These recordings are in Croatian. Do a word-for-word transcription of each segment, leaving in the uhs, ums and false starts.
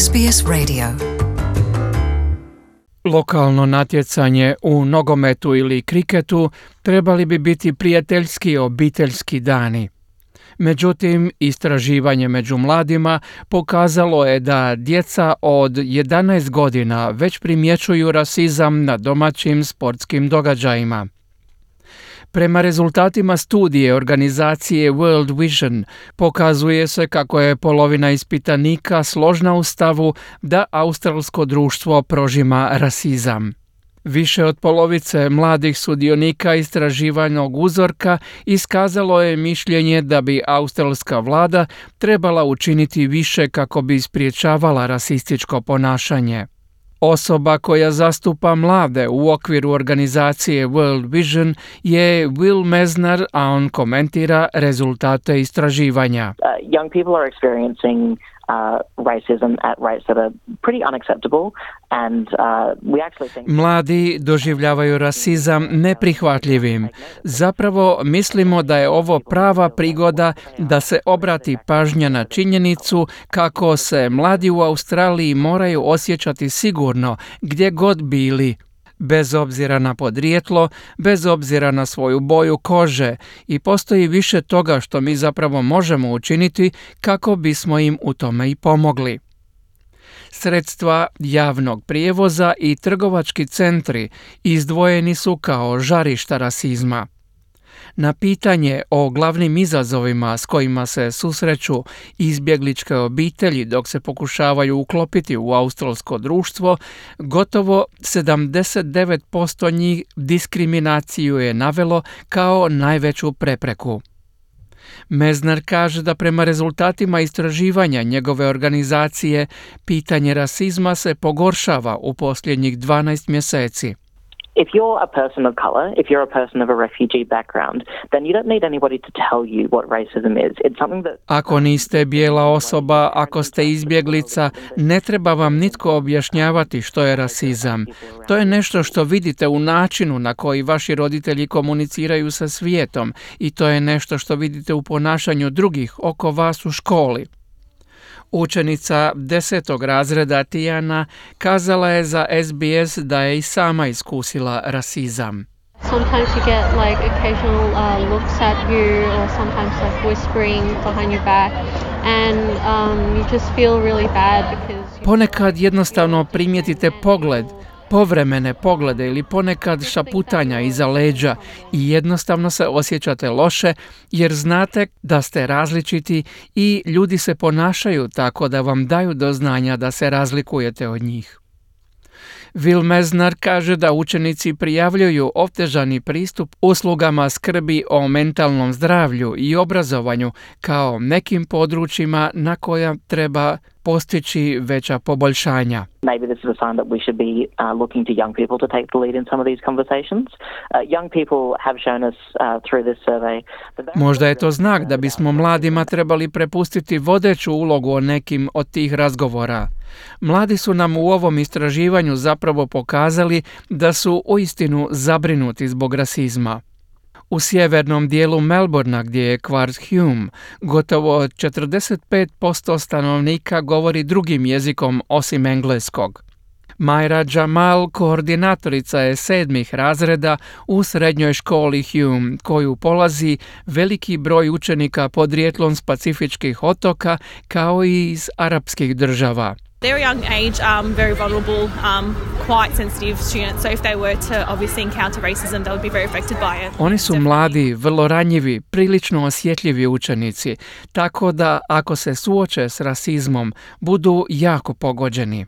S B S Radio. Lokalno natjecanje u nogometu ili kriketu trebali bi biti prijateljski obiteljski dani. Međutim, istraživanje među mladima pokazalo je da djeca od jedanaest godina već primjećuju rasizam na domaćim sportskim događajima. Prema rezultatima studije organizacije World Vision pokazuje se kako je polovina ispitanika složna u stavu da australsko društvo prožima rasizam. Više od polovice mladih sudionika istraživanog uzorka iskazalo je mišljenje da bi australska vlada trebala učiniti više kako bi spriječavala rasističko ponašanje. Osoba koja zastupa mlade u okviru organizacije World Vision je Will Mesner, a on komentira rezultate istraživanja. Uh, young people are experiencing uh, racism at rates that are pretty unacceptable and uh, we actually think Mladi doživljavaju rasizam neprihvatljivim. Zapravo mislimo da je ovo prava prigoda da se obrati pažnja na činjenicu kako se mladi u Australiji moraju osjećati sigurno gdje god bili, bez obzira na podrijetlo, bez obzira na svoju boju kože, i postoji više toga što mi zapravo možemo učiniti kako bismo im u tome i pomogli. Sredstva javnog prijevoza i trgovački centri izdvojeni su kao žarišta rasizma. Na pitanje o glavnim izazovima s kojima se susreću izbjegličke obitelji dok se pokušavaju uklopiti u australsko društvo, gotovo sedamdeset devet posto njih diskriminaciju je navelo kao najveću prepreku. Mesner kaže da prema rezultatima istraživanja njegove organizacije pitanje rasizma se pogoršava u posljednjih dvanaest mjeseci. if you're a person of color, if you're a person of a refugee background, then you don't need anybody to tell you what racism is. It's something that Ako niste bijela osoba, ako ste izbjeglica, ne treba vam nitko objašnjavati što je rasizam. To je nešto što vidite u načinu na koji vaši roditelji komuniciraju sa svijetom i to je nešto što vidite u ponašanju drugih oko vas u školi. Učenica desetog razreda Tijana kazala je za S B S da je i sama iskusila rasizam. Sometimes you get like occasional uh, looks at you or sometimes like whispering behind your back and um, you just feel really bad because Ponekad jednostavno primijetite pogled, povremene poglede ili ponekad šaputanja iza leđa i jednostavno se osjećate loše jer znate da ste različiti i ljudi se ponašaju tako da vam daju do znanja da se razlikujete od njih. Will Mesner kaže da učenici prijavljuju otežani pristup uslugama skrbi o mentalnom zdravlju i obrazovanju kao nekim područjima na koja treba postići veća poboljšanja. maybe this is a sign that we should be uh, looking to young people to take the lead in some of these conversations. Uh, young people have shown us uh, through this survey that they Možda je to znak da bismo mladima trebali prepustiti vodeću ulogu o nekim od tih razgovora. Mladi su nam u ovom istraživanju zapravo pokazali da su uistinu zabrinuti zbog rasizma. U sjevernom dijelu Melbournea, gdje je kvart Hume, gotovo četrdeset pet posto stanovnika govori drugim jezikom osim engleskog. Majra Jamal, koordinatorica je sedmih razreda u srednjoj školi Hume, koju polazi veliki broj učenika podrijetlom s pacifičkih otoka kao i iz arapskih država. They're a young age, um, very vulnerable, um, quite sensitive students, so if they were to obviously encounter racism, they would be very affected by it. Oni su mladi, vrlo ranjivi, prilično osjetljivi učenici, tako da ako se suoče s rasizmom, budu jako pogođeni.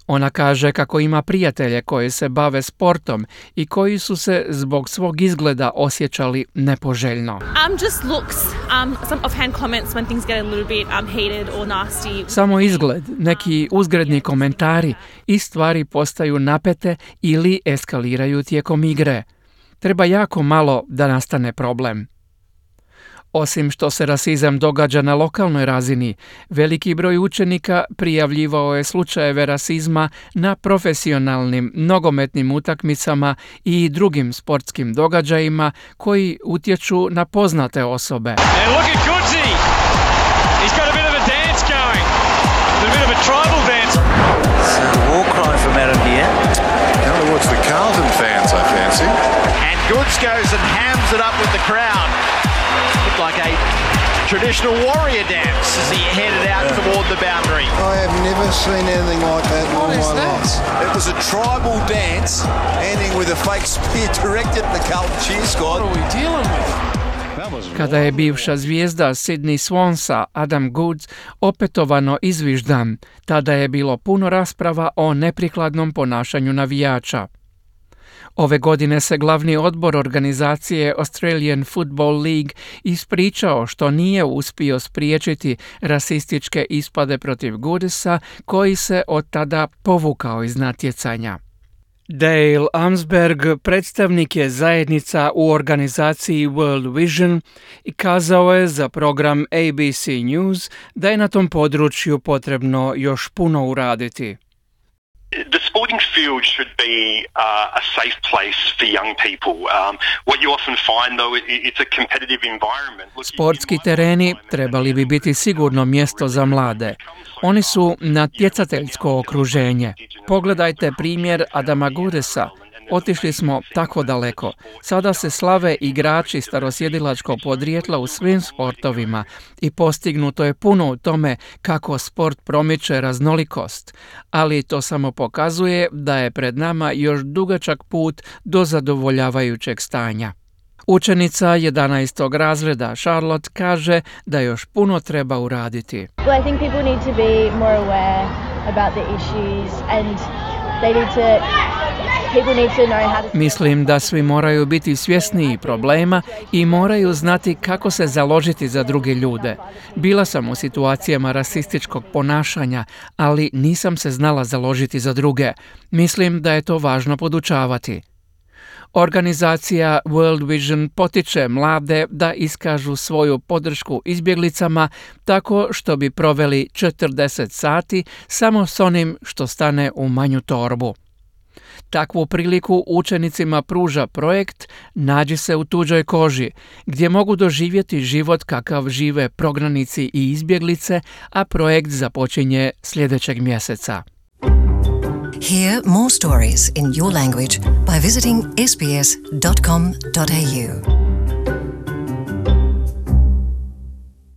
Ona kaže kako ima prijatelje koji se bave sportom i koji su se zbog svog izgleda osjećali nepoželjno. Um, just looks, um, some offhand comments when things get a little bit um, heated or nasty. Samo izgled, neki uzgredni komentari i stvari postaju napete ili eskaliraju tijekom igre. Treba jako malo da nastane problem. Osim što se rasizam događa na lokalnoj razini, veliki broj učenika prijavljivao je slučajeve rasizma na profesionalnim nogometnim utakmicama i drugim sportskim događajima koji utječu na poznate osobe. And look at Goodsey. He's got a bit of a dance going. A bit of a tribal Goods goes and hams it up with the crowd. Looked like a traditional warrior dance as he headed out yeah. toward the boundary. I have never seen anything like that in all my life. It was a tribal dance ending with a fake spear directed at the Carlton cheer squad. What are we dealing with? Kada je bivša zvijezda Sydney Swansa, Adam Goodes, opetovano izviždan, tada je bilo puno rasprava o neprikladnom ponašanju navijača. Ove godine se glavni odbor organizacije Australian Football League ispričao što nije uspio spriječiti rasističke ispade protiv Goodesa, koji se od tada povukao iz natjecanja. Dale Amsberg, predstavnik je zajednica u organizaciji World Vision, i kazao je za program A B C News da je na tom području potrebno još puno uraditi. The sporting field should be uh, a safe place for young people. Um, what you often find, though, it, it's a competitive environment. Look, Sportski tereni trebali bi biti sigurno mjesto za mlade. Oni su natjecateljsko okruženje. Pogledajte primjer Adama Goodesa. Otišli smo tako daleko. Sada se slave igrači starosjedilačkog podrijetla u svim sportovima i postignuto je puno u tome kako sport promiče raznolikost, ali to samo pokazuje da je pred nama još dugačak put do zadovoljavajućeg stanja. Učenica jedanaestog razreda Charlotte kaže da još puno treba uraditi. Well, I think people need to be more aware about the issues and they need to Mislim da svi moraju biti svjesniji problema i moraju znati kako se založiti za druge ljude. Bila sam u situacijama rasističkog ponašanja, ali nisam se znala založiti za druge. Mislim da je to važno podučavati. Organizacija World Vision potiče mlade da iskažu svoju podršku izbjeglicama tako što bi proveli četrdeset sati samo s onim što stane u manju torbu. Takvu priliku učenicima pruža projekt Nađi se u tuđoj koži, gdje mogu doživjeti život kakav žive prognanici i izbjeglice, a projekt započinje sljedećeg mjeseca. Hear more stories in your language by visiting s b s dot com dot a u.